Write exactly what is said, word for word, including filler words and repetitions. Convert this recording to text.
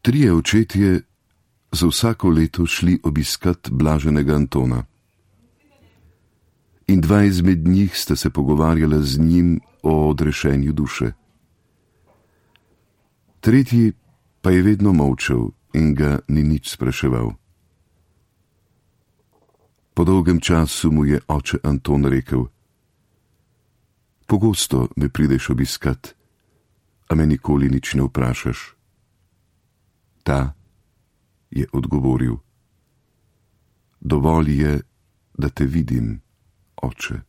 Trije očetje za vsako leto šli obiskat blaženega Antona. In dva izmed njih sta se pogovarjala z njim o odrešenju duše. Tretji pa je vedno molčal in ga ni nič spraševal. Po dolgem času mu je oče Anton rekel: Pogosto me prideš obiskat, a me nikoli nič ne vprašaš. Ta je odgovoril: Dovolj je, da te vidim, oče.